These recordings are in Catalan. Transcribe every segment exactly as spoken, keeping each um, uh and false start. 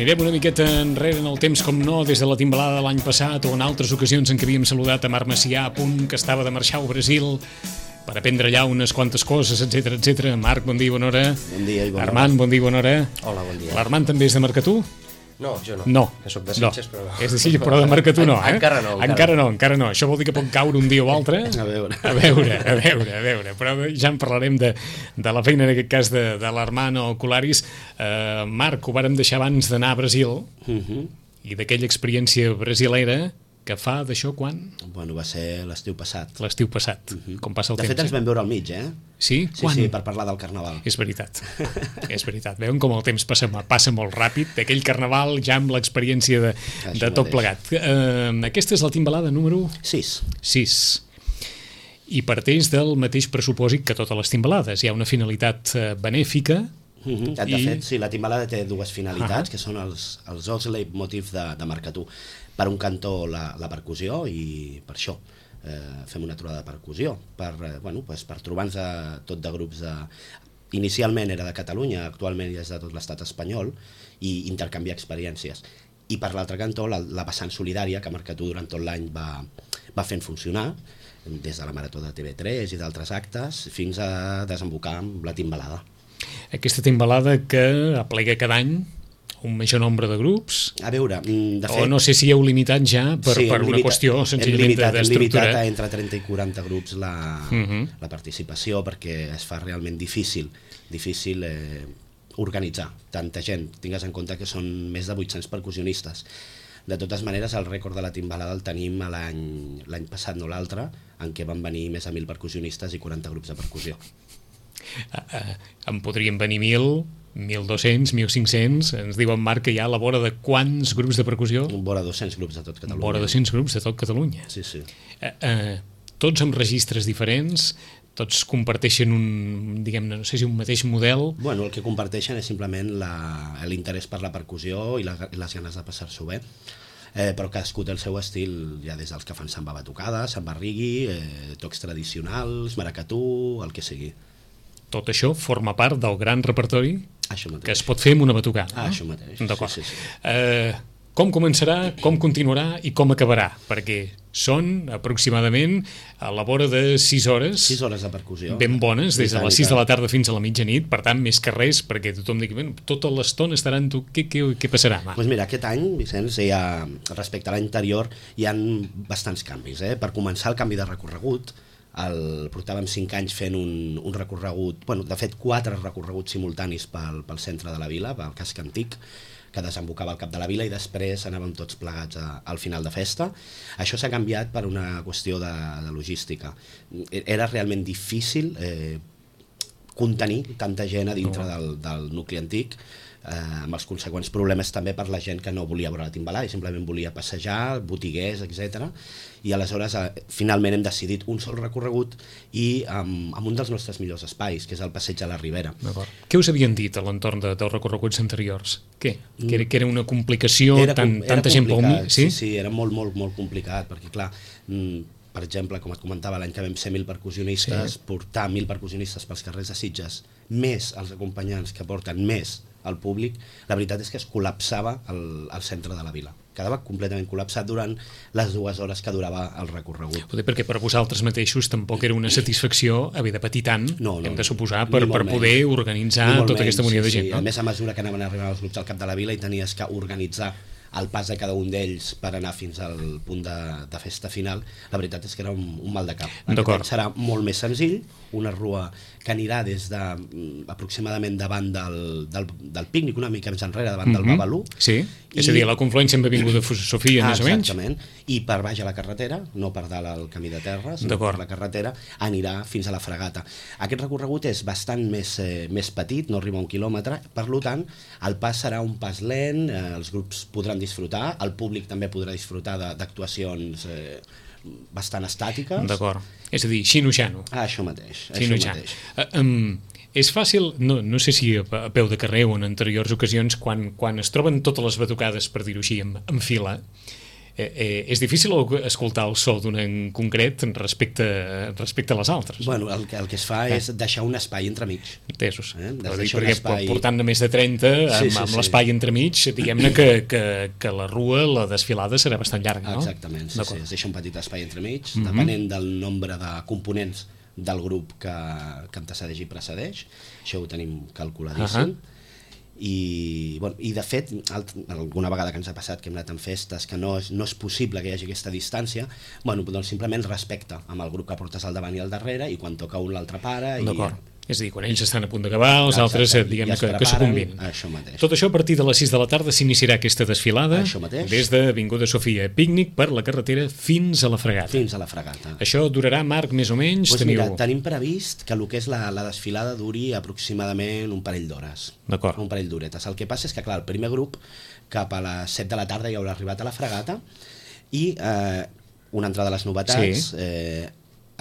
Mirem una miqueta enrere en el temps, com no, des de la timbalada de l'any passat o en altres ocasions en què havíem saludat a Marc Macià, a punt que estava de marxar al Brasil per aprendre allà unes quantes coses, etcètera, etcètera. Marc, bon dia, bona hora. Bon dia i bona hora. Armand, bon dia, bona hora. Hola, bon dia. L'Armand també és de Marcatú? No, jo no. No. Que soc de Sitges, no. però no. És de Sitges, però de Marcatú no, eh? Encara no. Encara, encara no, encara no. Això vol dir que pot caure un dia o altre. A veure. A veure, a veure, a veure. Però ja en parlarem de, de la feina, en aquest cas, de, de l'Armand o Colaris. Uh, Marc, ho vàrem deixar abans d'anar a Brasil, Uh -huh. i d'aquella experiència brasilera que fa d'això quan? Bueno, va ser l'estiu passat. L'estiu passat, uh -huh. com passa el de temps. De fet, ens vam veure al mig, eh? Sí? Sí, Quan? sí, per parlar del Carnaval. És veritat, és veritat. Veuen com el temps passa, passa molt ràpid, d'aquell Carnaval ja amb l'experiència de, de tot plegat. Uh, aquesta és la timbalada número... sis. sis. I parteix del mateix pressupòsit que totes les timbalades. Hi ha una finalitat uh, benèfica. Uh -huh. De I... fet, sí, la timbalada té dues finalitats, uh -huh. que són els, els dos leitmotiv de, de Marcatú. Per un cantó, la, la percussió, i per això eh, fem una trobada de percussió, per, eh, bueno, pues, per trobar-nos a, tot de grups de... Inicialment era de Catalunya, actualment ja és de tot l'estat espanyol, i intercanviar experiències. I per l'altre cantó, la, la vessant solidària, que Marcatú durant tot l'any va, va fent funcionar, des de la Marató de T V tres i d'altres actes, fins a desembocar amb la timbalada. Aquesta timbalada que aplega cada any un major nombre de grups. A veure, de fet... O no sé si heu limitat ja per, sí, per una limita, qüestió senzillament limitat, d'estructura. Hem limitat a entre trenta i quaranta grups la, uh -huh. la participació, perquè es fa realment difícil, difícil eh, organitzar tanta gent. Tingues en compte que són més de vuit-cents percussionistes. De totes maneres, el rècord de la timbalada el tenim l'any l'any passat, no l'altre, en què van venir més de mil percussionistes i quaranta grups de percussió. Uh, uh, en podrien venir mil... mil dos-cents, mil cinc-cents, ens diu en Marc que hi ha a la vora de quants grups de percussió? Vora dos-cents grups de tot Catalunya. Vora dos-cents grups de tot Catalunya. Sí, sí. Uh, uh, tots amb registres diferents, tots comparteixen un, diguem-ne, no sé si un mateix model. Bueno, el que comparteixen és simplement l'interès per la percussió i, la, i les ganes de passar-s'ho bé. Eh, però cadascú té el seu estil, ja des dels que fan samba batucada, samba rigui, eh, tocs tradicionals, maracatú, el que sigui. Tot això forma part del gran repertori que es pot fer amb una batucada. Ah, no? això mateix. D'acord. Sí, sí, sí. Eh, com començarà, com continuarà i com acabarà? Perquè són aproximadament a la vora de sis hores. sis hores de percussió. Ben bones, des de les sis de la tarda fins a la mitjanit, per tant, més que res, perquè tothom digui, bueno, tota l'estona estaran tu, què, què, què passarà? Doncs pues mira, aquest any, Vicenç, hi ha, respecte a l'any anterior, hi ha bastants canvis. Eh? Per començar, el canvi de recorregut. El, portàvem cinc anys fent un, un recorregut, bueno, de fet quatre recorreguts simultanis pel, pel centre de la vila, pel casc antic, que desembocava al cap de la vila, i després anàvem tots plegats a, al final de festa. Això s'ha canviat per una qüestió de, de logística. Era realment difícil eh, contenir tanta gent a dintre del, del nucli antic, eh, amb els conseqüents problemes també per la gent que no volia veure la timbalada i simplement volia passejar, botiguers, etcètera. I aleshores eh, finalment hem decidit un sol recorregut i amb, amb un dels nostres millors espais, que és el Passeig a la Ribera. Què us havien dit a l'entorn de, dels recorreguts anteriors? Què? Que era, que era una complicació, era, tan, era tanta gent pel mig? Sí? sí, sí, era molt, molt, molt complicat, perquè clar, per exemple, com et comentava, l'any que vam ser mil percussionistes, sí. portar mil percussionistes pels carrers de Sitges, més els acompanyants que porten més al públic, la veritat és que es col·lapsava el, el centre de la vila. Quedava completament col·lapsat durant les dues hores que durava el recorregut. Poder perquè per vosaltres mateixos tampoc era una satisfacció haver de patir tant, no, no, hem de suposar, per, per poder menys. organitzar tota menys, aquesta munió sí, de gent. Sí. No? A més, a mesura que anaven arribant els grups al cap de la vila i tenies que organitzar el pas de cada un d'ells per anar fins al punt de, de festa final, la veritat és que era un, un mal de cap. Aquest serà molt més senzill, una rua que anirà des de aproximadament davant del, del, del pícnic, una mica més enrere, davant mm-hmm. del Babalú. Sí, i... és a dir, a la confluència amb Avinguda Sofia, ah, més o menys. Exactament, i per baix a la carretera, no per dalt al camí de terra, sinó per la carretera, anirà fins a la Fregata. Aquest recorregut és bastant més, eh, més petit, no arriba a un quilòmetre, per tant, el pas serà un pas lent, eh, els grups podran disfrutar, el públic també podrà disfrutar d'actuacions eh, bastant estàtiques. D'acord, és a dir, xino-xano. Ah, això mateix. Això mateix. Uh, um, és fàcil, no, no sé si a, a peu de carrer o en anteriors ocasions, quan, quan es troben totes les batucades, per dir-ho així, en, en fila, Eh, eh, és difícil escoltar el so d'un en concret respecte, respecte a les altres. Bueno, el que, el que es fa eh. és deixar un espai entremig. Entesos. Eh? Dir, perquè espai... portant-ne més de trenta, amb, sí, sí, amb sí. l'espai entremig, diguem-ne que, que, que la rua, la desfilada serà bastant llarga, no? Exactament, sí, sí, es deixa un petit espai entremig, mm-hmm. depenent del nombre de components del grup que, que antecedeix i precedeix. Això ho tenim calculadíssim. Uh-huh. I, bueno, i de fet alguna vegada que ens ha passat que hem anat en festes que no és, no és possible que hi hagi aquesta distància, bueno, doncs simplement respecte amb el grup que portes al davant i al darrere, i quan toca un l'altre para i... D'acord. És a dir, quan ells estan a punt d'acabar, els Exacte. altres diguem ja que, que s'ho combinen. Això mateix. Tot això a partir de les sis de la tarda s'iniciarà aquesta desfilada des de Avinguda Sofia Pícnic per la carretera fins a la Fregata. Fins a la Fregata. Això durarà, Marc, més o menys? Pues teniu... mira, tenim previst que el que és la, la desfilada duri aproximadament un parell d'hores. D'acord. Un parell d'horetes. El que passa és que, clar, el primer grup cap a les set de la tarda ja haurà arribat a la Fregata i eh, una altra de les novetats... Sí. Eh,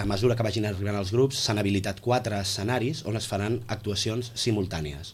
a mesura que vagin arribant els grups, s'han habilitat quatre escenaris on es faran actuacions simultànies.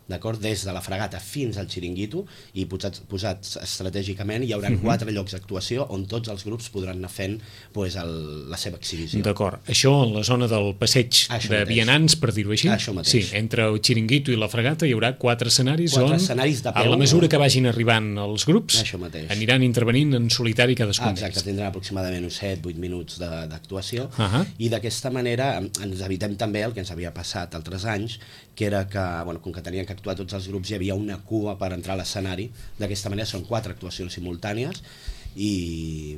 D'acord? Des de la Fregata fins al Xiringuito, i posats, posats estratègicament hi haurà uh-huh. quatre llocs d'actuació on tots els grups podran anar fent pues, el, la seva exhibició. D'acord. Això en la zona del passeig Això de mateix. Vianants, per dir-ho així? Això mateix. Sí, entre el Xiringuito i la Fregata hi haurà quatre escenaris quatre on, escenaris de peu, a la mesura que vagin arribant els grups, Això mateix. aniran intervenint en solitari cadascun. Ah, exacte, tindran aproximadament uns set vuit minuts d'actuació, uh-huh. i d'aquesta manera ens evitem també el que ens havia passat altres anys, que era que, bueno, com que tenien que actuar tots els grups, hi havia una cua per entrar a l'escenari. D'aquesta manera són quatre actuacions simultànies i,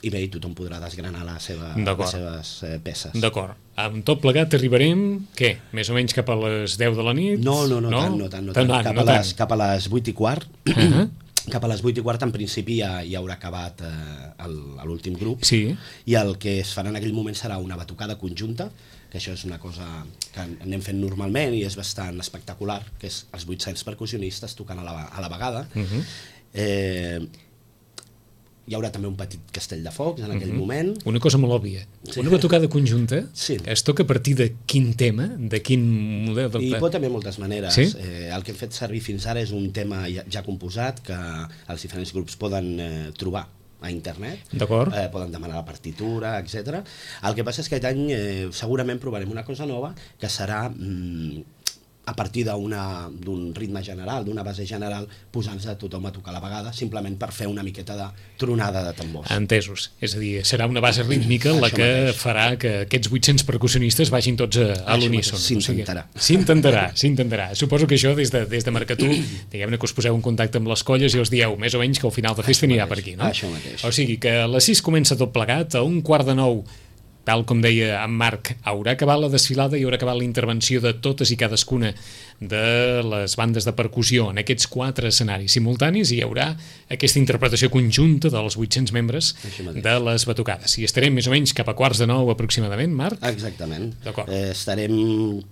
i bé, tothom podrà desgranar la seva, les seves eh, peces. D'acord. Amb tot plegat arribarem, què? Més o menys cap a les deu de la nit? No, no, no, no? tant, no tant, no tant. tant cap, no a les, cap a les vuit i quart. Uh-huh. Cap a les vuit i quart en principi ja, ja haurà acabat eh, l'últim grup, sí. i el que es farà en aquell moment serà una batucada conjunta, que això és una cosa que anem fent normalment i és bastant espectacular, que és els vuit-cents percussionistes tocant a la, a la vegada. Uh-huh. eh, hi haurà també un petit castell de focs en aquell uh-huh. moment. Una cosa molt òbvia, sí. Una batucada conjunta, sí. Es toca a partir de quin tema, de quin model? De... I pot haver moltes maneres. Sí? Eh, el que hem fet servir fins ara és un tema ja, ja composat que els diferents grups poden eh, trobar a internet, eh, poden demanar la partitura, etcètera. El que passa és que aquest any eh, segurament provarem una cosa nova, que serà mm, a partir d'un ritme general, d'una base general, posant-se a tothom a tocar a la vegada, simplement per fer una miqueta de tronada de tambors. Entesos. És a dir, serà una base rítmica la que mateix. farà que aquests vuit-cents percussionistes vagin tots a, a l'uníson. S'intentarà. O sigui, s'intentarà, s'intentarà. Suposo que això des de, des de Mercatú, diguem-ne que us poseu en contacte amb les colles i us dieu més o menys que al final de festa anirà per aquí, no? Això mateix. O sigui que a les sis comença tot plegat, a un quart de nou, tal com deia en Marc, haurà acabat la desfilada i haurà acabat la intervenció de totes i cadascuna de les bandes de percussió en aquests quatre escenaris simultanis, i hi haurà aquesta interpretació conjunta dels vuit-cents membres de les batucades. I estarem més o menys cap a quarts de nou aproximadament, Marc? Exactament. Eh, estarem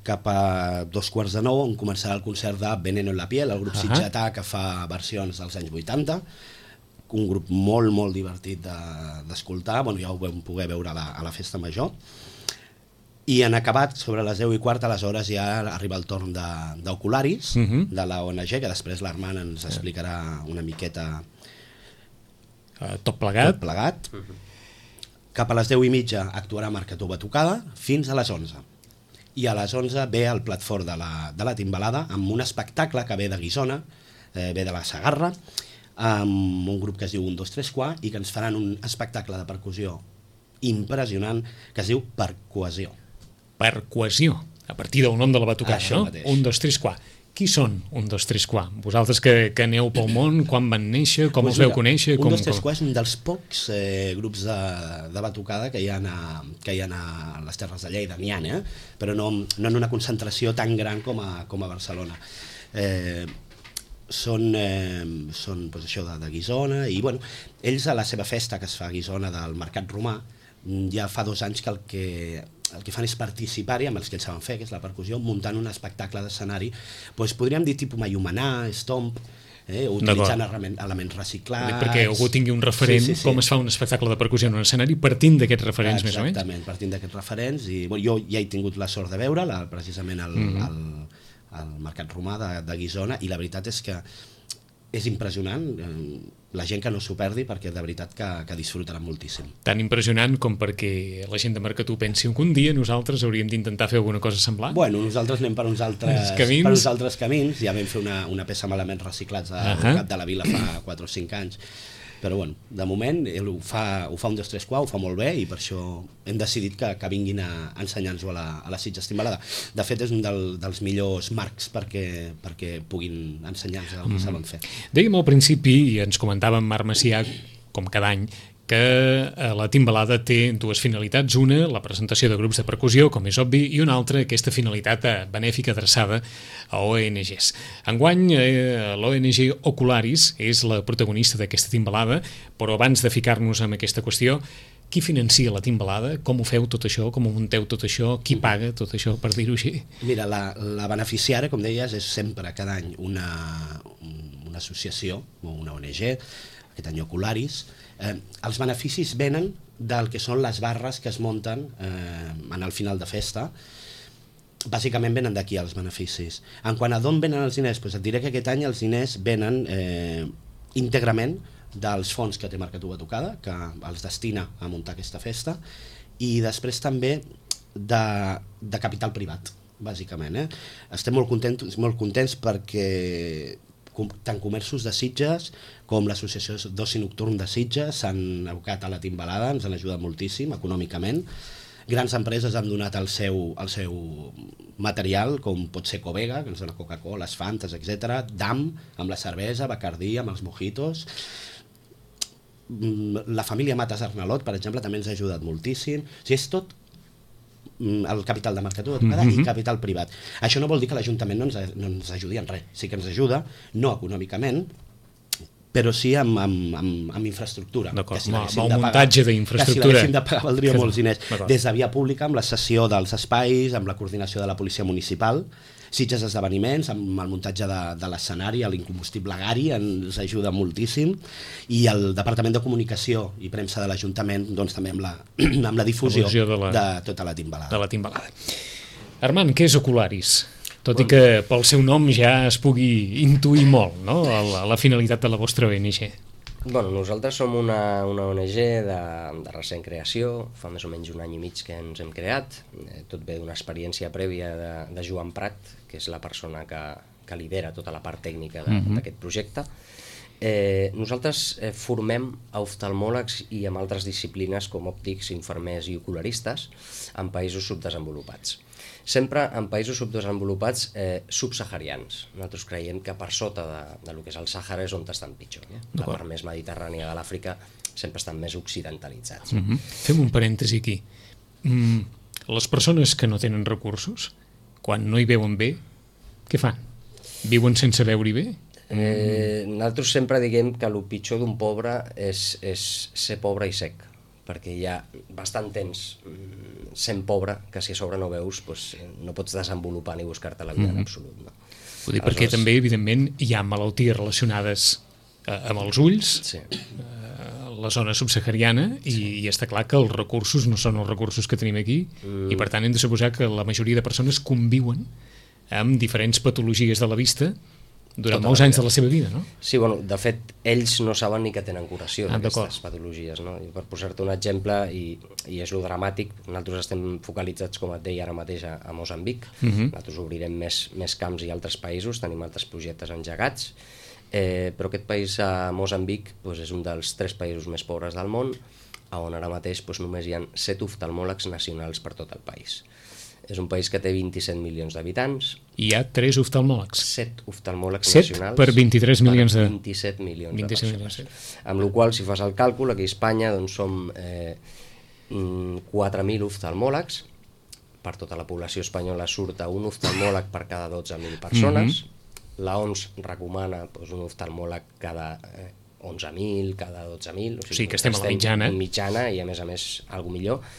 cap a dos quarts de nou on començarà el concert de Veneno en la piel, el grup uh-huh. sitgetà que fa versions dels anys vuitanta, un grup molt, molt divertit d'escoltar, de, bueno, ja ho vam poder veure a la, a la festa major, i en acabat, sobre les deu i quart, aleshores ja arriba el torn d'Ocularis, de, uh-huh. de la O N G, que després l'Armand ens explicarà una miqueta uh, tot plegat. Tot plegat. Uh-huh. Cap a les deu i mitja actuarà Mercatú Batucada fins a les onze. I a les onze ve el plat fort de la, de la timbalada, amb un espectacle que ve de Guissona, eh, ve de la Segarra, amb un grup que es diu un dos tres quatre i que ens faran un espectacle de percussió impressionant que es diu Percohesió. Percohesió, a partir del nom de la batucada, Això no? Mateix. un dos tres quatre. Qui són un dos tres quatre? Vosaltres que, que aneu pel món, quan van néixer, com pues els veu mira, conèixer? un Com, dos tres com... quatre és un dels pocs eh, grups de, de batucada que hi ha a, que hi ha a les Terres de Lleida, n'hi ha, eh? Però no, no en una concentració tan gran com a, com a Barcelona. Eh, són, eh, són pues, això de, de Guissona, i bueno, ells a la seva festa que es fa a Guissona del Mercat Romà, ja fa dos anys que el que, el que fan és participar-hi amb els que ells saben fer, que és la percussió, muntant un espectacle d'escenari, pues, podríem dir tipus Mayumanà, Stomp, eh, utilitzant elements reciclats. Perquè algú tingui un referent, sí, sí, sí. Com es fa un espectacle de percussió en un escenari, partint d'aquests referents, Exactament, més o menys? Exactament, partint d'aquests referents, i bueno, jo ja he tingut la sort de veure la, precisament el, mm-hmm. el, el Mercat Romà de, de Guissona, i la veritat és que és impressionant, la gent que no s'ho perdi perquè de veritat que, que disfrutaran moltíssim. Tan impressionant com perquè la gent de Mercatú pensi que un dia nosaltres hauríem d'intentar fer alguna cosa semblant? Bueno, nosaltres anem per uns altres camins, per uns altres camins. Ja vam fer una, una peça amb elements reciclats al uh -huh. Cap de la Vila fa quatre o cinc anys, però bueno, de moment ell ho fa, ho fa un dos tres quatre, ho fa molt bé i per això hem decidit que, que vinguin a ensenyar-nos-ho a la, a la Sitges Timbalada. De fet és un del, dels millors marcs perquè, perquè puguin ensenyar-nos el que mm. saben fer. Dèiem al principi, i ens comentava en Marc Macià, com cada any, que la Timbalada té dues finalitats, una, la presentació de grups de percussió, com és obvi, i una altra, aquesta finalitat benèfica adreçada a O N Ges. Enguany, eh, l'O N G Ocularis és la protagonista d'aquesta Timbalada, però abans de ficar-nos en aquesta qüestió, qui financia la Timbalada? Com ho feu tot això? Com ho munteu tot això? Qui paga tot això, per dir-ho així? Mira, la, la beneficiària, com deies, és sempre cada any una, una associació o una O N G, aquest any Ocularis. Eh, els beneficis venen del que són les barres que es munten eh, en el final de festa. Bàsicament venen d'aquí els beneficis. En quant a d'on venen els diners, doncs et diré que aquest any els diners venen eh, íntegrament dels fons que té Mercatú a Tocada, que els destina a muntar aquesta festa, i després també de, de capital privat, bàsicament. Eh? Estem molt contents, molt contents perquè tant comerços de Sitges com l'associació d'oci nocturn de Sitges s'han abocat a la Timbalada, ens han ajudat moltíssim econòmicament. Grans empreses han donat el seu, el seu material, com pot ser Covega, que ens dona Coca-Cola, les Fantes, etcètera, D A M, amb la cervesa, Bacardí, amb els mojitos. La família Matas Arnalot, per exemple, també ens ha ajudat moltíssim. O sigui, és tot el capital de Mercatú de Tocada mm-hmm. i capital privat. Això no vol dir que l'Ajuntament no, ens, no ens ajudi en res. Sí que ens ajuda, no econòmicament, però sí amb, amb, amb, amb infraestructura. D'acord, amb el muntatge d'infraestructura. Que si l'haguéssim de pagar valdria molts diners. Des de via pública, amb la cessió dels espais, amb la coordinació de la policia municipal, Sitges Esdeveniments, amb el muntatge de, de l'escenari, l'incombustible Gari ens ajuda moltíssim, i el Departament de Comunicació i Premsa de l'Ajuntament doncs, també amb la, amb la difusió de, la, de tota la Timbalada. De la Timbalada. Armand, què és Ocularis? Tot i que pel seu nom ja es pugui intuir molt, no?, la, la finalitat de la vostra O N G. Bueno, nosaltres som una, una O N G de, de recent creació, fa més o menys un any i mig que ens hem creat, tot ve d'una experiència prèvia de, de Joan Prat, que és la persona que, que lidera tota la part tècnica d'aquest mm-hmm. projecte. Eh, nosaltres eh, formem a oftalmòlegs i amb altres disciplines com òptics, infermers i ocularistes en països subdesenvolupats. Sempre en països subdesenvolupats eh, subsaharians. Nosaltres creiem que per sota de, de lo que és el Sàhara és on estan pitjor. Eh? La part més mediterrània de l'Àfrica sempre estan més occidentalitzats. Mm-hmm. Fem un parèntesi aquí. Mm, les persones que no tenen recursos, quan no hi veuen bé, què fan? Viuen sense veure-hi bé? Eh, nosaltres sempre diguem que el pitjor d'un pobre és, és ser pobre i sec, perquè hi ha bastant temps sent pobre que si a sobre no veus doncs no pots desenvolupar ni buscar-te la vida mm-hmm. en absolut. No? Vull dir, perquè també, evidentment, hi ha malalties relacionades eh, amb els ulls, sí. eh, la zona subsahariana, i, sí. i està clar que els recursos no són els recursos que tenim aquí, mm. i per tant hem de suposar que la majoria de persones conviuen amb diferents patologies de la vista durant tota molts anys de la seva vida, no? Sí, bueno, de fet, ells no saben ni que tenen curació ah, d'aquestes patologies, no? I per posar-te un exemple, i, i és lo dramàtic, nosaltres estem focalitzats, com et deia ara mateix, a, a Moçambic, uh-huh. nosaltres obrirem més, més camps i altres països, tenim altres projectes engegats, eh, però aquest país, a Moçambic, doncs és un dels tres països més pobres del món, on ara mateix doncs, només hi ha set oftalmòlegs nacionals per tot el país. És un país que té vint-i-set milions d'habitants. Hi ha tres oftalmòlegs. Set oftalmòlegs set nacionals. Per vint-i-tres milions de... vint-i-set milions vint-i-set de persones. Milions. Amb la qual cosa, si fas el càlcul, aquí a Espanya doncs, som eh, quatre mil oftalmòlegs. Per tota la població espanyola surt un oftalmòleg per cada dotze mil persones. Mm-hmm. La O M S recomana doncs, un oftalmòleg cada eh, onze mil, cada dotze mil. O sigui, o sigui que estem a la mitjana. En mitjana i a més a més alguna millor.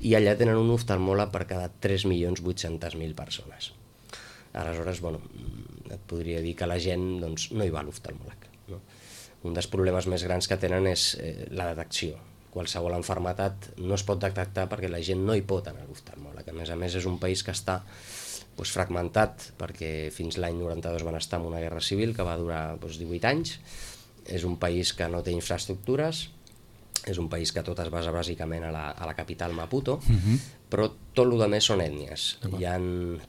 I allà tenen un oftalmòleg per cada tres milions vuit-cents mil persones. Aleshores, bueno, et podria dir que la gent doncs, no hi va a l'oftalmòleg. No? Un dels problemes més grans que tenen és eh, la detecció. Qualsevol malaltia no es pot detectar perquè la gent no hi pot anar a l'oftalmòleg. A més a més, és un país que està doncs, fragmentat, perquè fins l'any noranta-dos van estar en una guerra civil que va durar doncs, divuit anys. És un país que no té infraestructures, és un país que tot es basa bàsicament a la, a la capital Maputo, uh-huh. però tot el que més són ètnies. Hi ha,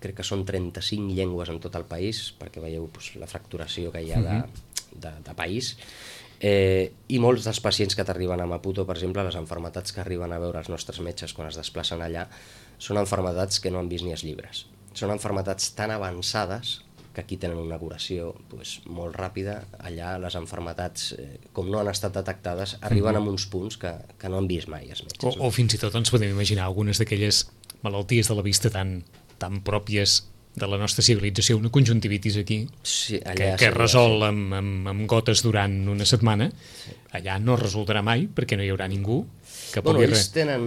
crec que són trenta-cinc llengües en tot el país, perquè veieu doncs, la fracturació que hi ha de, de, de país. Eh, I molts dels pacients que t'arriben a Maputo, per exemple, les malalties que arriben a veure els nostres metges quan es desplacen allà, són malalties que no han vist ni els llibres. Són malalties tan avançades que aquí tenen una curació pues, molt ràpida. Allà les malalties, eh, com no han estat detectades, arriben mm-hmm. a uns punts que, que no han vist mai els metges. O, no? o fins i tot ens podem imaginar algunes d'aquelles malalties de la vista tan, tan pròpies de la nostra civilització, una conjuntivitis aquí, sí, que, que resol amb, amb, amb gotes durant una setmana, sí. Allà no resultarà mai, perquè no hi haurà ningú que pugui... Bueno, ells re... tenen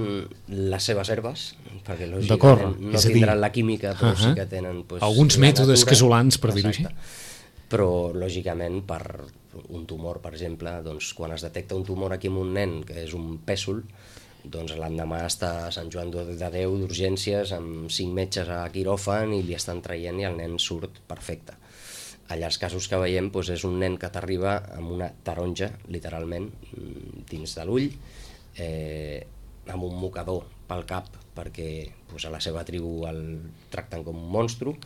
les seves herbes, perquè lògicament no tindran la química, però uh -huh. sí que tenen... Pues, alguns mètodes natura, casolans, per dir-ho així. Però, lògicament, per un tumor, per exemple, doncs, quan es detecta un tumor aquí en un nen, que és un pèsol, doncs l'endemà està a Sant Joan de Déu d'urgències amb cinc metges a quiròfan i li estan traient i el nen surt perfecte. Allà els casos que veiem doncs, és un nen que t'arriba amb una taronja, literalment, dins de l'ull, eh, amb un mocador pel cap, perquè doncs, a la seva tribu el tracten com un monstru,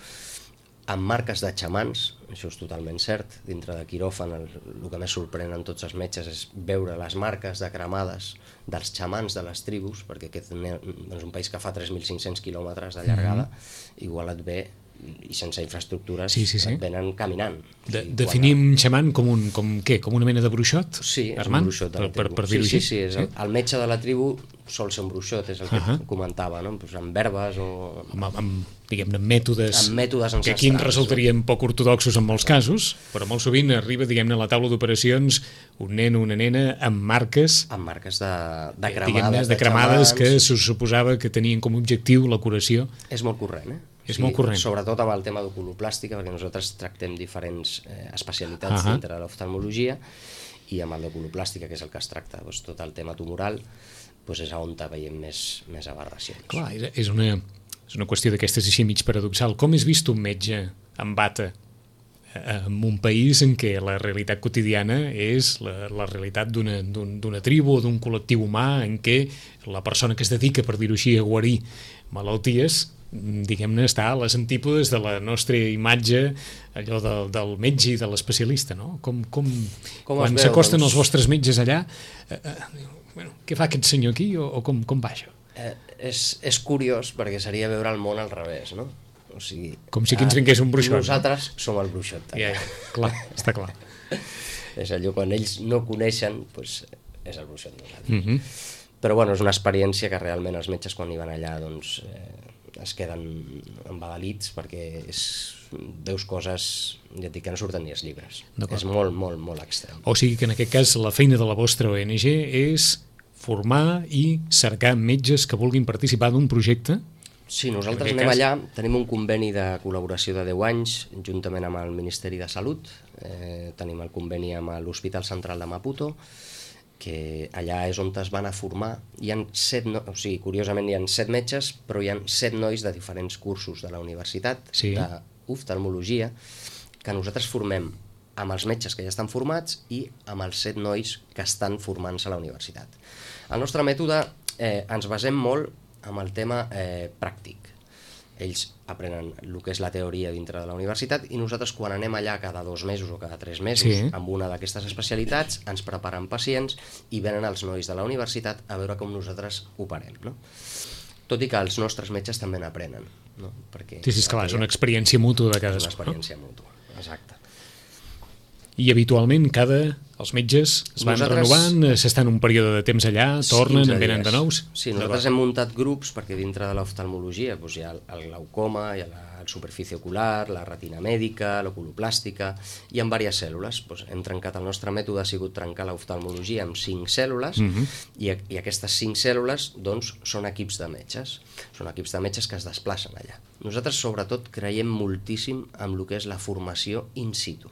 amb marques de xamans, això és totalment cert, dintre de quiròfan el, el que més sorprèn en tots els metges és veure les marques de cremades dels xamans de les tribus, perquè aquest és un país que fa tres mil cinc-cents quilòmetres de llargada, mm-hmm. igual et ve i sense infraestructures sí, sí, sí. et venen caminant. De, definim xaman com, un, com, què, com una mena de bruixot? Sí, és Armand? un bruixot de la per, tribu. per, per sí, sí, sí, sí, és el, el metge de la tribu sol ser un bruixot, és el que uh-huh. comentava, no? Pues amb verbes o... Amb, amb, diguem-ne, mètodes, amb mètodes ancestrals, que aquí ens resultarien poc ortodoxos en molts casos, però molt sovint arriba, diguem-ne, a la taula d'operacions un nen o una nena amb marques... Amb marques de, de cremades, de, de cremades que se suposava que tenien com a objectiu la curació. És molt corrent, eh? És sí, molt corrent. Sobretot amb el tema d'oculoplàstica, perquè nosaltres tractem diferents eh, especialitats uh-huh. dintre de l'oftalmologia, i amb el d'oculoplàstica, que és el que es tracta, doncs, tot el tema tumoral, doncs és on veiem més, més aberracions. Clar, és una, és una qüestió d'aquestes així mig paradoxal. Com és vist un metge amb bata en un país en què la realitat quotidiana és la, la realitat d'una d'un, d'una tribu o d'un col·lectiu humà en què la persona que es dedica, per dir-ho així, a guarir malalties, diguem-ne, està a les antípodes de la nostra imatge, allò del, del metge i de l'especialista, no? Com, com, com quan s'acosten doncs... els vostres metges allà, eh, eh, bueno, què fa aquest senyor aquí o, o com, com va això? Eh, és, és curiós perquè seria veure el món al revés, no? O sigui, com si aquí ens vingués un bruixot. Nosaltres no? som el bruixot. Ja, ja, clar, està clar. És allò, quan ells no coneixen, doncs és el bruixot nosaltres. Mm -hmm. Però bueno, és una experiència que realment els metges quan hi van allà doncs, eh, es queden embadalits perquè és, veus coses, ja et dic, que no surten ni els llibres. És molt, molt, molt extrem. O sigui que en aquest cas la feina de la vostra O N G és formar i cercar metges que vulguin participar d'un projecte. Sí, nosaltres anem cas... allà, tenim un conveni de col·laboració de deu anys, juntament amb el Ministeri de Salut, eh, tenim el conveni amb l'Hospital Central de Maputo, que allà és on es van a formar. Hi ha set, no... o sigui, curiosament hi ha set metges, però hi ha set nois de diferents cursos de la universitat, sí. d'oftalmologia, que nosaltres formem amb els metges que ja estan formats i amb els set nois que estan formant-se a la universitat. El nostre mètode eh, ens basem molt amb el tema eh, pràctic. Ells aprenen el que és la teoria dintre de la universitat i nosaltres quan anem allà cada dos mesos o cada tres mesos sí. amb una d'aquestes especialitats ens preparen pacients i venen els nois de la universitat a veure com nosaltres operem, no? Tot i que els nostres metges també n'aprenen, no? Perquè sí, sí, és clar, és una experiència mútua de cadascú. És una experiència no? mútua, exacte. I habitualment cada... els metges es van nosaltres... renovant, s'estan un període de temps allà, tornen, en venen de nous? Sí, nosaltres hem muntat grups perquè dintre de l'oftalmologia doncs, hi ha el glaucoma, hi ha la superfície ocular, la retina mèdica, l'oculoplàstica, hi ha diverses cèl·lules. Doncs hem trencat, el nostre mètode ha sigut trencar l'oftalmologia amb cinc cèl·lules uh-huh. i, i aquestes cinc cèl·lules doncs, són equips de metges. Són equips de metges que es desplacen allà. Nosaltres sobretot creiem moltíssim en el que és la formació in situ.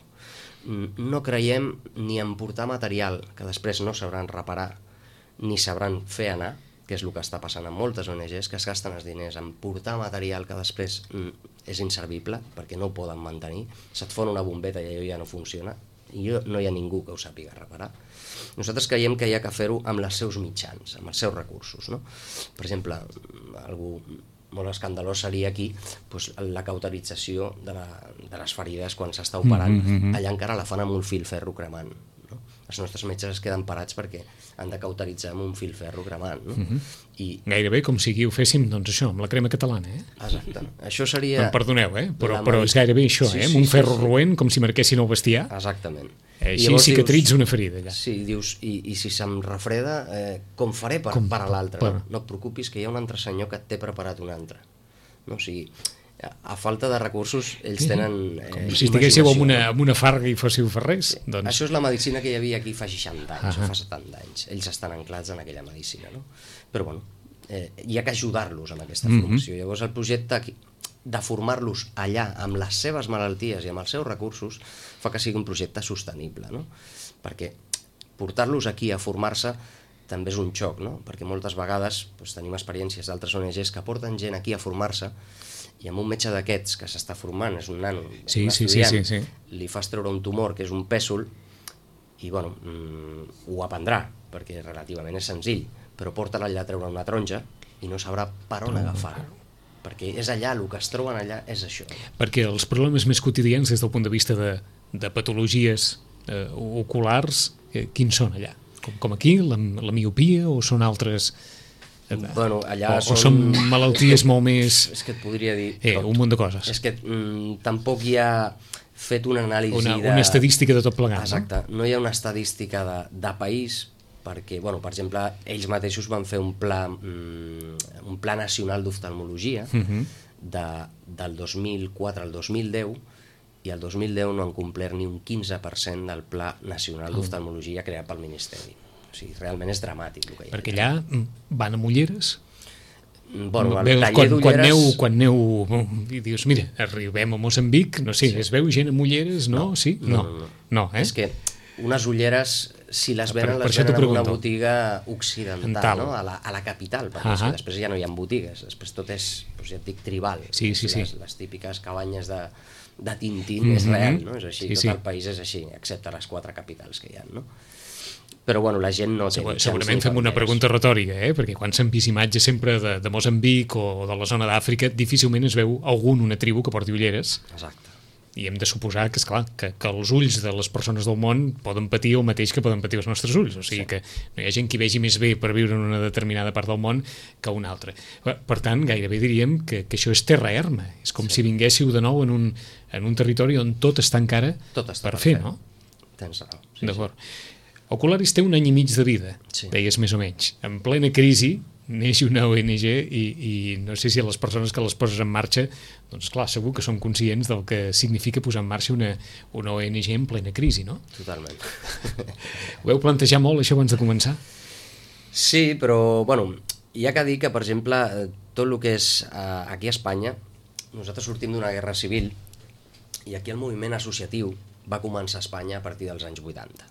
No creiem ni en portar material que després no sabran reparar ni sabran fer anar, que és el que està passant amb moltes O N Ges, que es gasten els diners en portar material que després mm, és inservible, perquè no ho poden mantenir, se't fon una bombeta i allò ja no funciona, i no hi ha ningú que ho sàpiga reparar. Nosaltres creiem que hi ha que fer-ho amb els seus mitjans, amb els seus recursos, no? Per exemple, algú molt escandalós seria aquí doncs, la cauterització de, la, de les ferides quan s'està operant, mm-hmm. allà encara la fan amb un fil ferro cremant, no? Els nostres metges es queden parats perquè han de cauteritzar amb un fil ferro cremant, no? Mm-hmm. I... Gairebé com si aquí ho féssim, doncs això, amb la crema catalana, eh? Exacte. Això seria... Em perdoneu, eh? Però, però és gairebé això, sí, eh? Amb sí, un ferro sí, sí. roent, com si marquessin el bestiar. Exactament. Eh, així cicatritza una ferida, allà. Sí, dius, i, i si se'm refreda, eh, com faré per, com, per a l'altre? Per... No? no et preocupis, que hi ha un altre senyor que t'he preparat un altre. No? O sigui, a falta de recursos, ells tenen eh, com si estiguéssiu amb una, amb una farga i fóssiu ferrers. Sí. Doncs... Això és la medicina que hi havia aquí fa seixanta anys, uh -huh. o fa setanta anys. Ells estan anclats en aquella medicina, no? Però bueno, eh, hi ha que ajudar-los amb aquesta formació. Uh -huh. Llavors el projecte aquí, de formar-los allà amb les seves malalties i amb els seus recursos fa que sigui un projecte sostenible, no? Perquè portar-los aquí a formar-se també és un xoc, no? Perquè moltes vegades doncs, tenim experiències d'altres O N Ges que porten gent aquí a formar-se i amb un metge d'aquests que s'està formant, és un nano, sí, un sí, estudiant, sí, sí, sí. li fas treure un tumor que és un pèsol i bueno, mm, ho aprendrà perquè relativament és senzill, però porta-la allà a treure una taronja i no sabrà per on agafar-ho, perquè és allà, el que es troben allà és això. Perquè els problemes més quotidians des del punt de vista de, de patologies eh, oculars, eh, quins són allà? Com, com aquí, la, la miopia o són altres... Bueno, allà o, són... o són malalties molt més... És que et podria dir... Eh, un munt de coses. És que mm, tampoc hi ha fet una anàlisi una, de... Una estadística de tot plegat. Exacte, no, no hi ha una estadística de, de país, perquè, bueno, per exemple, ells mateixos van fer un pla, mm, un pla nacional d'oftalmologia uh-huh. de, del dos mil quatre al dos mil deu, i el dos mil deu no han complert ni un quinze per cent del pla nacional d'oftalmologia creat pel Ministeri. O sigui, realment és dramàtic el que hi ha. Perquè allà van amb ulleres? Bueno, el Veus, taller quan, d'ulleres... quan aneu, quan aneu i dius, mira, arribem a Moçambic, no sé, sí. es veu gent amb ulleres, no? No, sí? no, no, no. no eh? És que unes ulleres, si les venen, per, per les venen en una pregunto. botiga occidental, no? a, la, a la capital, perquè uh -huh. després ja no hi ha botigues, després tot és, doncs ja et dic, tribal. Sí, sí, sí. Les, les típiques cabanyes de, de Tintín mm -hmm. és real, no? És així, sí, tot sí. el país és així, excepte les quatre capitals que hi ha, no? Però bueno, la gent no té... Segur, segurament fem una pregunta retòrica, eh? Perquè quan s'han vist imatges sempre de, de Moçambic o de la zona d'Àfrica, difícilment es veu algun, una tribu que porti ulleres. Exacte. I hem de suposar que, esclar, que, que els ulls de les persones del món poden patir el mateix que poden patir els nostres ulls. O sigui sí. que no hi ha gent que vegi més bé per viure en una determinada part del món que una altra. Per tant, gairebé diríem que, que això és terra erma. És com sí. si vinguéssiu de nou en un, en un territori on tot està encara tot està per, per fer, fer, no? Tens raó. Sí, d'acord. Sí. Ocularis té un any i mig de vida, sí. deies més o menys. En plena crisi neix una O N G i, i no sé si a les persones que les poses en marxa, doncs clar, segur que són conscients del que significa posar en marxa una, una O N G en plena crisi, no? Totalment. Ho heu plantejat molt, això, abans de començar? Sí, però, bueno, hi ha que dir que, per exemple, tot el que és eh, aquí a Espanya, nosaltres sortim d'una guerra civil i aquí el moviment associatiu va començar a Espanya a partir dels anys vuitanta,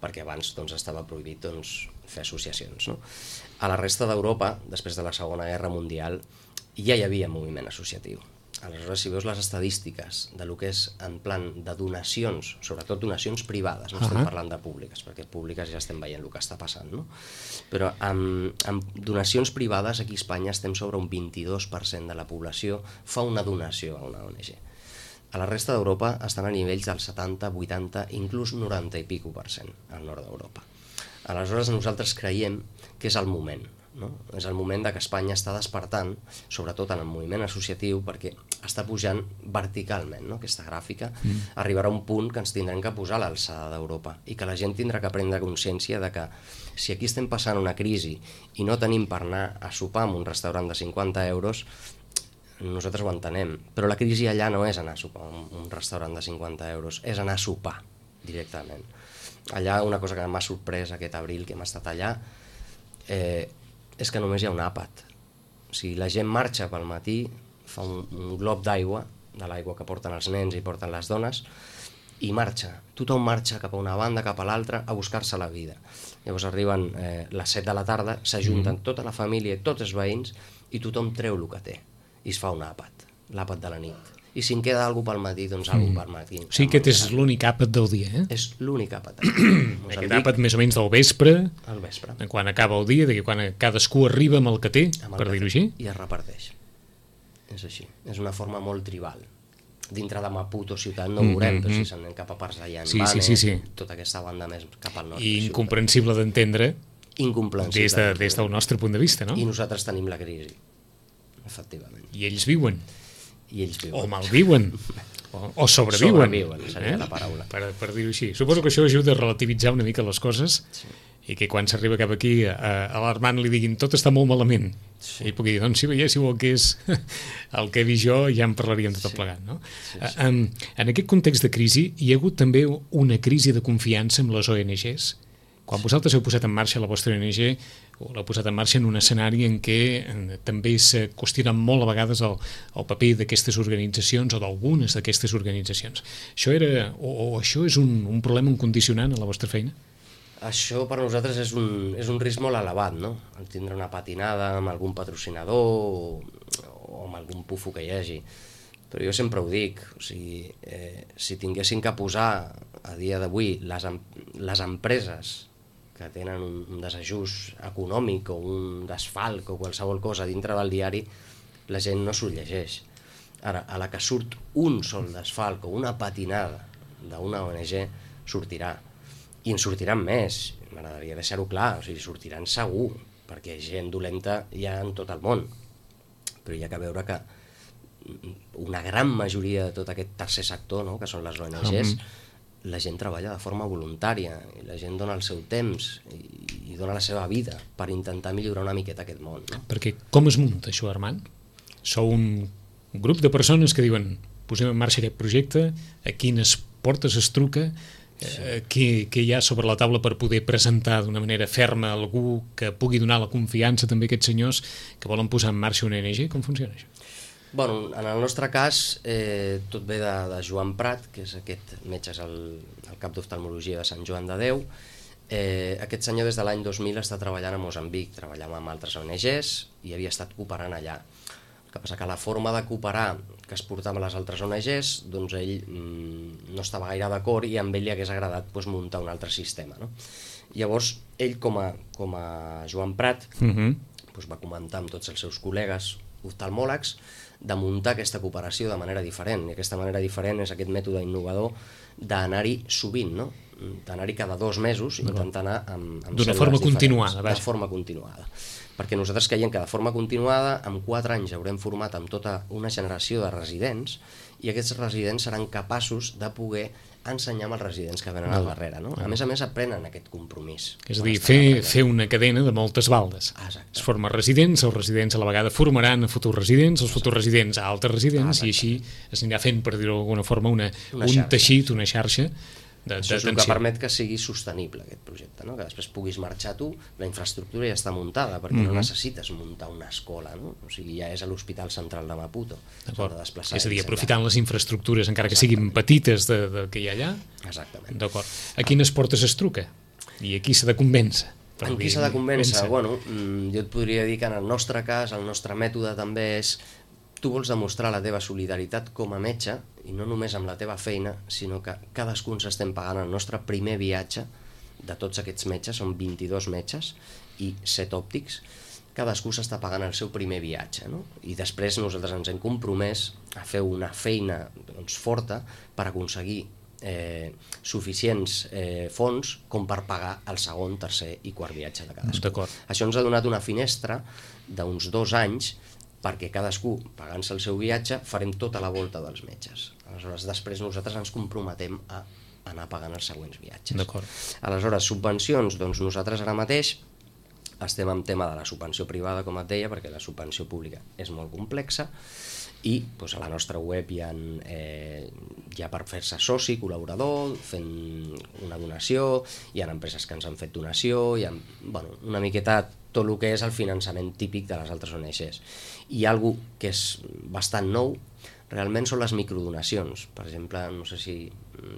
perquè abans doncs, estava prohibit doncs, fer associacions. No? A la resta d'Europa, després de la Segona Guerra Mundial, ja hi havia moviment associatiu. Aleshores, si veus les estadístiques de lo que és en plan de donacions, sobretot donacions privades, no uh -huh. estem parlant de públiques, perquè públiques ja estem veient el que està passant, no? Però amb, amb donacions privades aquí a Espanya estem sobre un vint-i-dos per cent de la població fa una donació a una O N G. A la resta d'Europa estan a nivells del setanta, vuitanta, inclús noranta i pico per cent al nord d'Europa. Aleshores nosaltres creiem que és el moment, no? És el moment de que Espanya està despertant, sobretot en el moviment associatiu, perquè està pujant verticalment, no? Aquesta gràfica mm. arribarà a un punt que ens tindrem que posar a l'alçada d'Europa i que la gent tindrà que prendre consciència de que si aquí estem passant una crisi i no tenim per anar a sopar en un restaurant de cinquanta euros, nosaltres ho entenem, però la crisi allà no és anar a sopar en un restaurant de cinquanta euros, és anar a sopar directament. Allà una cosa que m'ha sorprès aquest abril que hem estat allà eh, és que només hi ha un àpat. O sigui, la gent marxa pel matí, fa un, un glob d'aigua, de l'aigua que porten els nens i porten les dones, i marxa. Tothom marxa cap a una banda, cap a l'altra, a buscar-se la vida. Llavors arriben eh, les set de la tarda, s'ajunten mm. tota la família, tots els veïns, i tothom treu el que té. I es fa un àpat, l'àpat de la nit. I si en queda alguna pel matí, doncs alguna mm. pel matí. O sigui, aquest és l'únic àpat del dia, eh? És l'únic àpat. Aquest àpat més o menys del vespre, al vespre, quan acaba el dia, quan cadascú arriba amb el que té, per dir-ho així. I es reparteix. És així. És una forma molt tribal. Dintre de Maputo ciutat no ho veurem, mm -hmm. però si s'anem cap a parts de Llanbane, sí, sí, sí, sí. tota aquesta banda més cap al nord. I incomprensible d'entendre des, de, des del nostre punt de vista, no? I nosaltres tenim la crisi, efectivament. I ells viuen. I ells viuen. O malviuen. O, o sobreviuen. Sobreviuen, seria eh? la paraula. Per, per dir-ho així. Suposo que això ajuda a relativitzar una mica les coses, sí. I que quan s'arriba cap aquí a, a l'Armand li diguin tot està molt malament, sí. I pugui dir, doncs si veiéssiu el que és el que he vist jo, ja en parlaríem tot sí. plegat, no? Sí, sí. En, en aquest context de crisi hi ha hagut també una crisi de confiança amb les O N Ges. Quan sí. vosaltres heu posat en marxa la vostra O N G, o l'heu posat en marxa en un escenari en què en, també s'ha qüestionat molt a vegades el, el paper d'aquestes organitzacions o d'algunes d'aquestes organitzacions. Això era, o, o això és un, un problema, un condicionant a la vostra feina? Això per nosaltres és un, és un risc molt elevat, no? El tindre una patinada amb algun patrocinador o, o amb algun pufo que hi hagi. Però jo sempre ho dic, o sigui, eh, si tinguessin que posar a dia d'avui les, les empreses que tenen un, un desajust econòmic o un desfalc o qualsevol cosa dintre del diari, la gent no s'ho llegeix. Ara, a la que surt un sol desfalc o una patinada d'una O N G, sortirà. I en sortiran més, m'agradaria deixar-ho clar, o sigui, sortiran segur, perquè gent dolenta hi ha en tot el món. Però hi ha que veure que una gran majoria de tot aquest tercer sector, no?, que són les O N Ges, mm. la gent treballa de forma voluntària, i la gent dona el seu temps i, i dona la seva vida per intentar millorar una miqueta aquest món. No? Perquè com es munta això, Armand? Sou un grup de persones que diuen posem en marxa aquest projecte, a quines portes es truca, sí. eh, què, què hi ha sobre la taula per poder presentar d'una manera ferma algú que pugui donar la confiança també a aquests senyors que volen posar en marxa una O N G? Com funciona això? Bueno, en el nostre cas, eh, tot ve de, de Joan Prat, que és aquest metge, és el, el cap d'oftalmologia de Sant Joan de Déu. Eh, aquest senyor des de l'any dos mil està treballant a Moçambic, treballava amb altres O N Ges i havia estat cooperant allà. El que passa que la forma de cooperar que es portava a les altres O N Ges, doncs ell mmm, no estava gaire d'acord i amb ell li hagués agradat doncs, muntar un altre sistema. No? Llavors, ell com a, com a Joan Prat uh-huh. doncs, va comentar amb tots els seus col·legues oftalmòlegs de muntar aquesta cooperació de manera diferent, i aquesta manera diferent és aquest mètode innovador d'anar-hi sovint, no? D'anar-hi cada dos mesos, intentar anar amb, amb d'una forma continuada. De forma continuada. Perquè nosaltres creiem que de forma continuada, en quatre anys haurem format amb tota una generació de residents, i aquests residents seran capaços de poder ensenyar amb els residents que venen al darrere. No? A més a més, aprenen aquest compromís. És a dir, fer, fer una cadena de moltes baldes. Exacte. Es forma residents, els residents a la vegada formaran a futurs residents, els futurs residents a altres residents, Exacte. I així es anirà fent, per dir-ho d'alguna forma, una, una un xarxa. teixit, una xarxa de, Això és de el que permet que sigui sostenible aquest projecte, no? Que després puguis marxar tu, la infraestructura ja està muntada, perquè mm-hmm. no necessites muntar una escola, no? O sigui, ja és a l'Hospital Central de Maputo. D'acord. De és a dir, aprofitant les infraestructures, encara que siguin petites de, de que hi ha allà. Exactament. D'acord. A quines portes es truca? I a qui s'ha de convèncer? En qui s'ha de convèncer? Bueno, jo et podria dir que en el nostre cas, el nostre mètode també és tu vols demostrar la teva solidaritat com a metge, i no només amb la teva feina, sinó que cadascun s'estem pagant el nostre primer viatge de tots aquests metges, són vint-i-dos metges i set òptics, cadascú s'està pagant el seu primer viatge, no? I després nosaltres ens hem compromès a fer una feina doncs, forta per aconseguir eh, suficients eh, fons com per pagar el segon, tercer i quart viatge de cadascú. Això ens ha donat una finestra d'uns dos anys perquè cadascú, pagant-se el seu viatge, farem tota la volta dels metges. Aleshores, després nosaltres ens comprometem a anar pagant els següents viatges. Aleshores, subvencions, doncs nosaltres ara mateix estem en tema de la subvenció privada, com et deia, perquè la subvenció pública és molt complexa, i doncs, a la nostra web hi ha, eh, hi ha per fer-se soci, col·laborador, fent una donació, hi ha empreses que ens han fet donació, hi ha bueno, una miqueta tot el que és el finançament típic de les altres O N Ges. I algo que és bastant nou, realment són les microdonacions. Per exemple, no sé si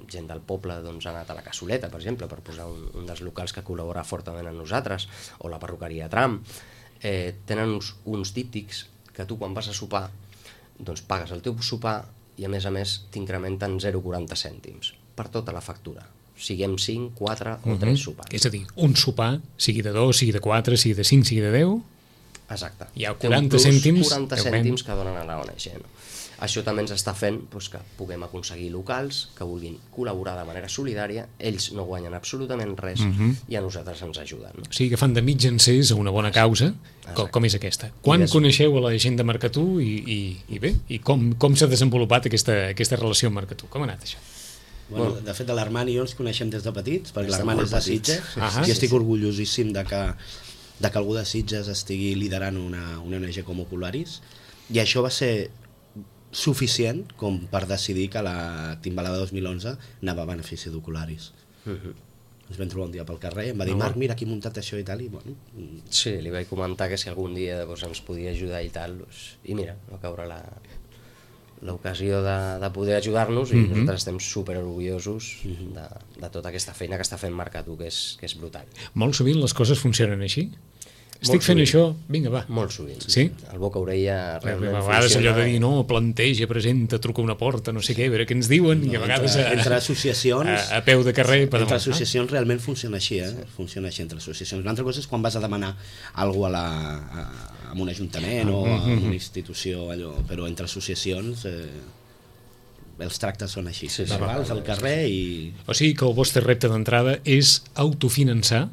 gent del poble doncs, ha anat a la Cassoleta, per exemple, per posar un, un dels locals que col·labora fortament amb nosaltres, o la perruqueria Tram. Eh, tenen uns, uns díptics que tu quan vas a sopar doncs pagues el teu sopar i a més a més t'incrementen zero coma quaranta cèntims per tota la factura, siguem cinc, quatre o tres uh-huh. sopars. És a dir, un sopar, sigui de dos, sigui de quatre, sigui de cinc, sigui de deu... Exacte. Hi ha quaranta cèntims... quaranta cèntims que donen a la O N G. No? Això també ens està fent doncs, que puguem aconseguir locals que vulguin col·laborar de manera solidària, ells no guanyen absolutament res uh-huh. i a nosaltres ens ajuden. No? O sigui que fan de mig encès a una bona causa, com, com és aquesta. Quan des... coneixeu a la gent de Mercatú i, i, i bé, i com, com s'ha desenvolupat aquesta, aquesta relació amb Mercatú? Com ha anat això? Bueno, de fet, l'Armand i jo ens coneixem des de petits, perquè l'Armand és de Sitges, ah, i estic orgullosíssim de que, de que algú de Sitges estigui liderant una, una O N G com Ocularis, i això va ser suficient com per decidir que la Timbalada dos mil onze anava a benefici d'Ocularis. Uh-huh. Ens vam trobar un dia pel carrer, em va dir, no, Marc, mira, aquí he muntat això i tal, i bueno... Sí, li vaig comentar que si algun dia doncs, ens podia ajudar i tal, doncs, i mira, va caure la... l'ocasió de, de poder ajudar-nos i uh-huh. nosaltres estem super orgullosos uh-huh. de, de tota aquesta feina que està fent Mercatú, que és, que és brutal. Molt sovint les coses funcionen així? Estic Molt fent sovint. això, vinga, va. Molt sovint. Sí? El boca-orella realment a vegades allò de dir, no, planteja, presenta, truca una porta, no sé què, a veure què ens diuen, no, i a vegades entre, a, entre associacions, a, a peu de carrer... Per entre associacions no? realment funciona així, eh? Sí. Funciona així entre associacions. Una altra cosa és quan vas a demanar alguna cosa a la, a, a un ajuntament o a una institució, allò, però entre associacions... Eh, els tractes són així, sí, sí, verbals al carrer i... O sigui que el vostre repte d'entrada és autofinançar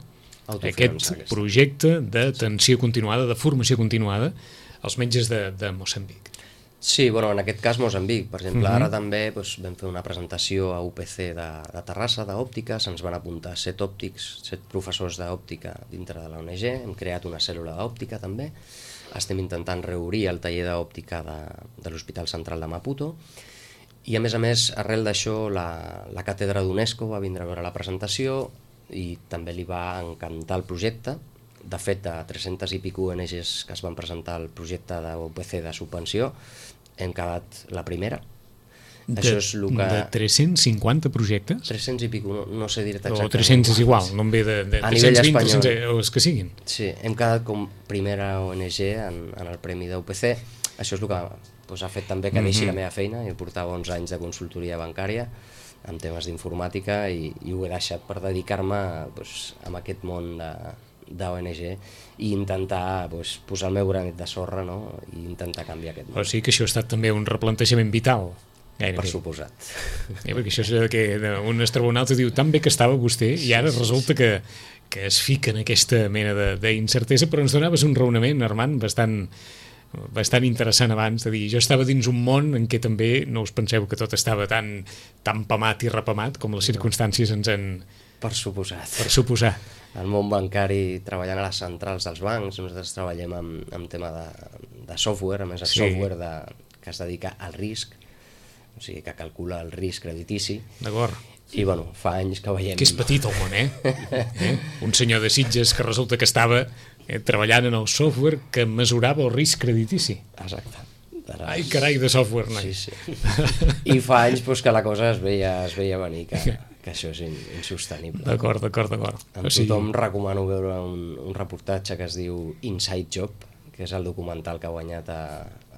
aquest projecte d'atenció continuada, de formació continuada als metges de, de Moçambic. Sí, bueno, en aquest cas Moçambic, per exemple, uh-huh. ara també doncs, vam fer una presentació a U P C de, de Terrassa, d'òptica, se'ns van apuntar set òptics, set professors d'òptica dintre de la O N G, hem creat una cèl·lula d'òptica també, estem intentant reobrir el taller d'òptica de, de l'Hospital Central de Maputo, i a més a més, arrel d'això, la, la càtedra d'UNESCO va vindre a veure la presentació i també li va encantar el projecte. De fet, de tres-centes i pico O N Ges que es van presentar al projecte de U P C de subvenció, hem quedat la primera. De, Això és el que... de tres-cents cinquanta projectes? tres-cents i pico, no, no sé dir-te exactament. O tres-cents és igual, no em ve de, de tres-cents vint, tres-cents, o els que siguin. Sí, hem quedat com primera O N G en, en el premi d'U P C. Això és el que doncs, ha fet també que deixi mm-hmm. la meva feina. Jo portava onze anys de consultoria bancària en temes d'informàtica i, i ho he deixat per dedicar-me doncs, a aquest món de, de O N G i intentar doncs, posar el meu granet de sorra, no? I intentar canviar aquest món. O sigui que això ha estat també un replantejament vital. Gairebé. Per suposat. Eh, perquè això és que un astronauta diu tan bé que estava vostè i ara resulta que, que es fica en aquesta mena d'incertesa, però ens donaves un raonament, Armand, bastant, bastant interessant abans, de dir, jo estava dins un món en què també no us penseu que tot estava tan, tan pamat i repamat com les circumstàncies ens han... Per suposat. Per suposar. El món bancari, treballant a les centrals dels bancs, nosaltres treballem amb, amb tema de, de software, a més el sí. software de, que es dedica al risc, o sigui, que calcula el risc creditici. D'acord. I, bueno, fa anys que veiem... Que és petit el món, eh? eh? Un senyor de Sitges que resulta que estava eh, treballant en el software que mesurava el risc creditici. Exacte. Ai, carai, de software, noi. Sí, sí. I fa anys pues, que la cosa es veia, es veia venir, que, que això és insostenible. D'acord, d'acord, d'acord. Amb o sigui... tothom recomano veure un, un reportatge que es diu Inside Job, que és el documental que ha guanyat a,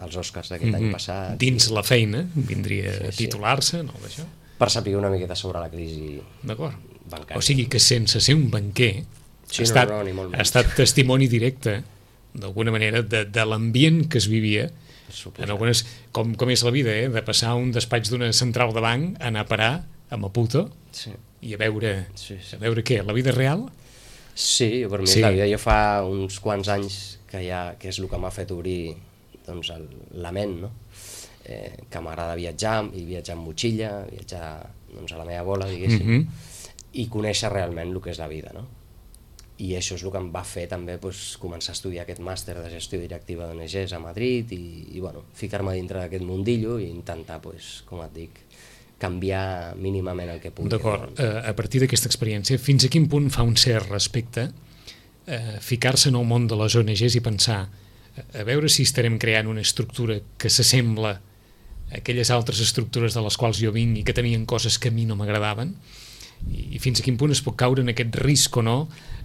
als Oscars d'aquest mm-hmm. any passat. Dins la feina, vindria sí, a titular-se, sí. no, d'això? Per saber una miqueta sobre la crisi bancària. O sigui que sense ser un banquer sí, ha, estat, no, no, ha estat testimoni directe, d'alguna manera, de, de l'ambient que es vivia en algunes, com, com és la vida, eh? De passar un despatx d'una central de banc a anar a parar a Maputo sí. i a veure, sí, sí. a veure què, la vida real? Sí, per mi sí. és la vida. Jo fa uns quants anys que, ja, que és el que m'ha fet obrir doncs, el, la ment, no? Eh, que m'agrada viatjar, i viatjar amb motxilla, viatjar doncs, a la meva bola, diguéssim, mm-hmm. i conèixer realment el que és la vida, no? I això és el que em va fer també doncs, començar a estudiar aquest màster de gestió directiva d'O N Ges a Madrid i, i bueno, ficar-me dintre d'aquest mundillo i intentar, doncs, com et dic, canviar mínimament el que pugui. D'acord, uh, a partir d'aquesta experiència, fins a quin punt fa un cert respecte uh, ficar-se en el món de les O N Ges i pensar a veure si estarem creant una estructura que s'assembla aquelles altres estructures de les quals jo vinc i que tenien coses que a mi no m'agradaven, i fins a quin punt es pot caure en aquest risc o no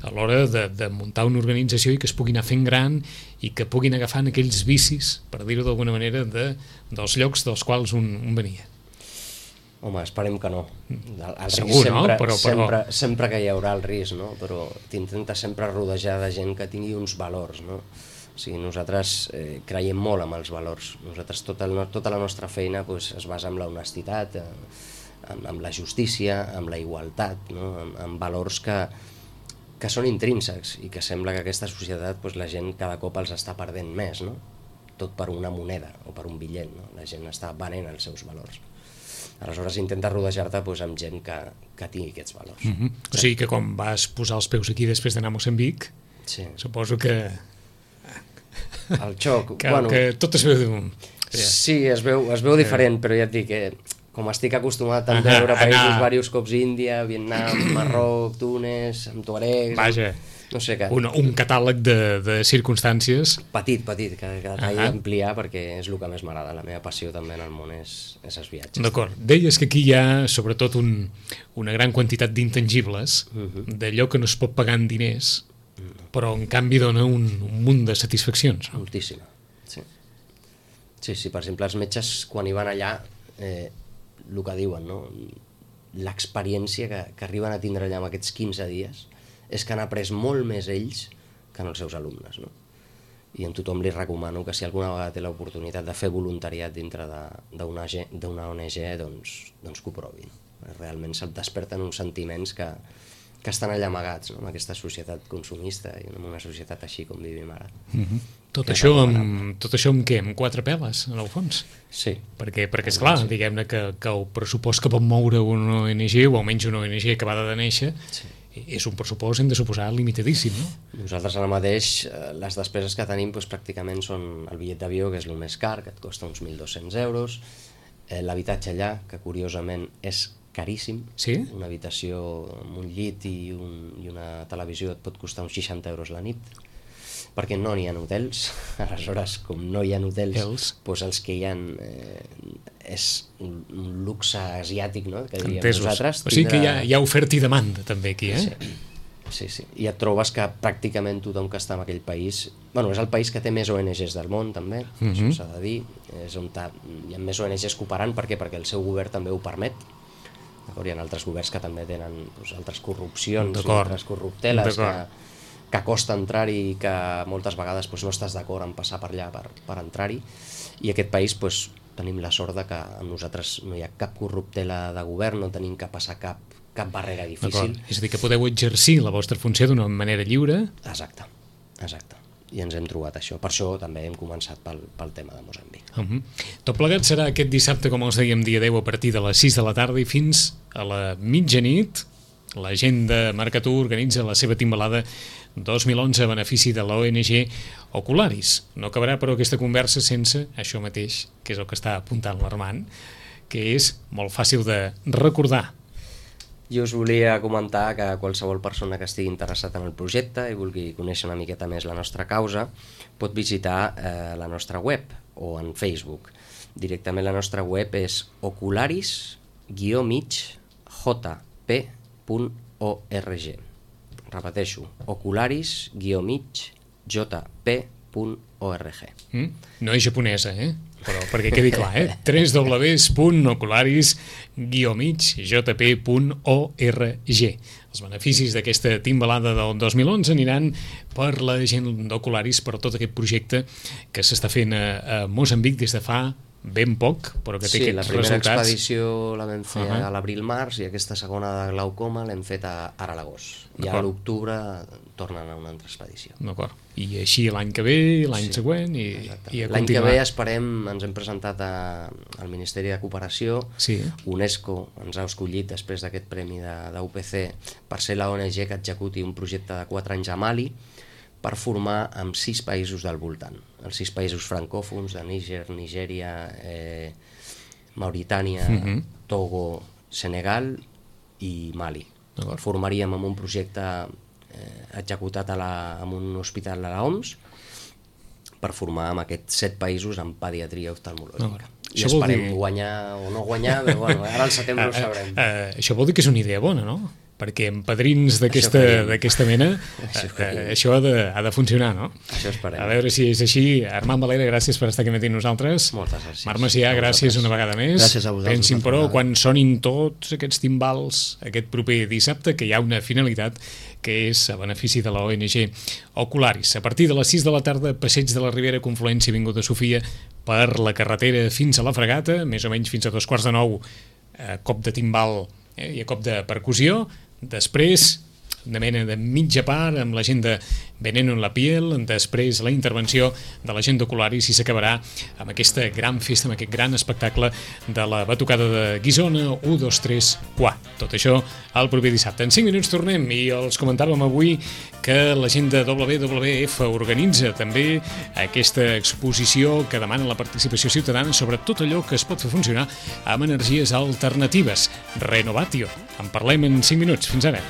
a l'hora de, de muntar una organització i que es pugui anar fent gran i que puguin agafant aquells vicis, per dir-ho d'alguna manera, de, dels llocs dels quals un, un venia. Home, esperem que no. El, el Segur, sempre, no? Però, però... Sempre, sempre que hi haurà el risc, no? Però t'intenta sempre rodejar de gent que tingui uns valors, no? O sigui, nosaltres eh, creiem molt en els valors. Nosaltres, tota, el, tota la nostra feina pues, es basa en la honestitat, eh, amb, amb la justícia, amb la igualtat, no? amb, amb valors que, que són intrínsecs i que sembla que aquesta societat pues, la gent cada cop els està perdent més, no? Tot per una moneda o per un bitllet, no? La gent està venent els seus valors. Aleshores intenta rodejar-te pues, amb gent que, que tingui aquests valors. Mm-hmm. Sí. O sigui que quan vas posar els peus aquí després d'anar a Moçambic, sí. Suposo que... El xoc... que, bueno, que tot es veu... Sí, es veu, es veu diferent, però ja et dic que com estic acostumat a veure països anar... diversos cops, Índia, Vietnam, Marroc, Túnez, amb tuaregs... Vaja, no sé què. Un, un catàleg de, de circumstàncies... Petit, petit, que, que t'hagi d'ampliar perquè és el que més m'agrada. La meva passió també en el món és, és els viatges. D'acord. Deies que aquí hi ha sobretot un, una gran quantitat d'intangibles, uh-huh. d'allò que no es pot pagar en diners, uh-huh. però en canvi dona un, un munt de satisfaccions. No? Moltíssima, sí. Sí, sí, per exemple, els metges quan hi van allà, eh, el que diuen, no? L'experiència que, que arriben a tindre allà en aquests quinze dies és que han après molt més ells que en els seus alumnes, no? I a tothom li recomano que si alguna vegada té l'oportunitat de fer voluntariat dintre d'una O N G, doncs, doncs que ho provin. Realment se't desperten uns sentiments que, que estan allà amagats, no? En aquesta societat consumista i en una societat així com vivim ara. Mm-hmm. Tot, això amb, tot això amb què? Amb quatre peles, en el fons? Sí. Perquè, perquè esclar, sí. Diguem-ne que, que el pressupost que pot moure una O N G, o almenys una O N G acabada de néixer, sí. És un pressupost, hem de suposar, limitadíssim, no? Nosaltres ara mateix, les despeses que tenim doncs, pràcticament són el bitllet d'avió, que és el més car, que et costa uns mil dos-cents euros, eh, l'habitatge allà, que curiosament és caríssim, sí? Una habitació amb un llit i, un, i una televisió et pot costar uns seixanta euros la nit, perquè no n'hi ha hotels. Aleshores, com no hi ha hotels, els, doncs els que hi ha eh, és un, un luxe asiàtic, no? Que diríem Entesos. Nosaltres. O sigui que hi ha, hi ha oferta i demanda també aquí, eh? Sí. Sí, sí. I et trobes que pràcticament tothom que està en aquell país... Bueno, és el país que té més O N Ges del món, també, mm-hmm. Això s'ha de dir. És on hi ha més O N Ges cooperant, per què? Perquè el seu govern també ho permet. Hi ha altres governs que també tenen doncs, altres corrupcions, altres corrupteles que, que costa entrar-hi i que moltes vegades doncs, no estàs d'acord en passar per allà per, per entrar-hi. I aquest país doncs, tenim la sort de que amb nosaltres no hi ha cap corruptela de govern, no tenim que passar cap, cap barrera difícil. És a dir, que podeu exercir la vostra funció d'una manera lliure. Exacte, exacte. I ens hem trobat això. Per això també hem començat pel, pel tema de Moçambic. Uh-huh. Tot plegat serà aquest dissabte, com els dèiem, dia deu, a partir de les sis de la tarda i fins a la mitjanit. La gent de Marcatú organitza la seva timbalada dos mil onze a benefici de l'O N G Ocularis. No acabarà, però, aquesta conversa sense això mateix, que és el que està apuntant l'Armand, que és molt fàcil de recordar. Jo us volia comentar que qualsevol persona que estigui interessat en el projecte i vulgui conèixer una miqueta més la nostra causa pot visitar eh, la nostra web o en Facebook. Directament la nostra web és ocularis guió mig j p punt org. Repeteixo, ocularis guió mig j p punt org. Mm? No és japonesa, eh? Però perquè quedi clar, eh? w w w punt ocularis guió mig j p punt org. Els beneficis d'aquesta timbalada del dos mil onze aniran per la gent d'Ocularis, per tot aquest projecte que s'està fent a, a Moçambic des de fa ben poc, però que té sí, aquests resultats. Sí, la primera expedició la vam fer uh-huh. a l'abril-març i aquesta segona de glaucoma l'hem fet a, ara a l'agost. I a l'octubre tornen a una altra expedició. D'acord. I així l'any que ve, l'any sí, següent i, i a continuar. L'any que ve esperem, ens hem presentat a, al Ministeri de Cooperació, sí. UNESCO ens ha escollit després d'aquest premi de, de U P C per ser la O N G que executi un projecte de quatre anys a Mali per formar amb sis països del voltant. Els sis països francòfons de Níger, Nigèria, eh, Mauritània, uh-huh. Togo, Senegal i Mali. Formaríem amb un projecte eh, executat a la, en un hospital de l'O M S per formar amb aquests set països en pediatria oftalmològica. I esperem guanyar o no guanyar, però bueno, ara al setembre ho sabrem. Uh, uh, això vol dir que és una idea bona, no? Perquè amb padrins d'aquesta mena això, uh, això ha, de, ha de funcionar, no? Això esperem. A veure si és així. Armand Valera, gràcies per estar aquí amb nosaltres. Moltes gràcies. Marc Macià, gràcies una vegada més. Gràcies a vosaltres. Pensin, però, quan sonin tots aquests timbals aquest proper dissabte, que hi ha una finalitat que és a benefici de la O N G Ocularis. A partir de les sis de la tarda, passeig de la Ribera, confluència Avinguda Sofia, per la carretera fins a la Fregata, més o menys fins a dos quarts de nou, a cop de timbal eh, i a cop de percussió. Després, una mena de mitja part amb la gent de Veneno en la piel, després la intervenció de la gent d'Ocularis i s'acabarà amb aquesta gran festa, amb aquest gran espectacle de la batucada de Guissona, un, dos, tres, quatre. Tot això el proper dissabte. En cinc minuts tornem i els comentàvem avui que la gent de W W F organitza també aquesta exposició que demana la participació ciutadana sobre tot allò que es pot fer funcionar amb energies alternatives. Renovatio. En parlem en cinc minuts. Fins ara.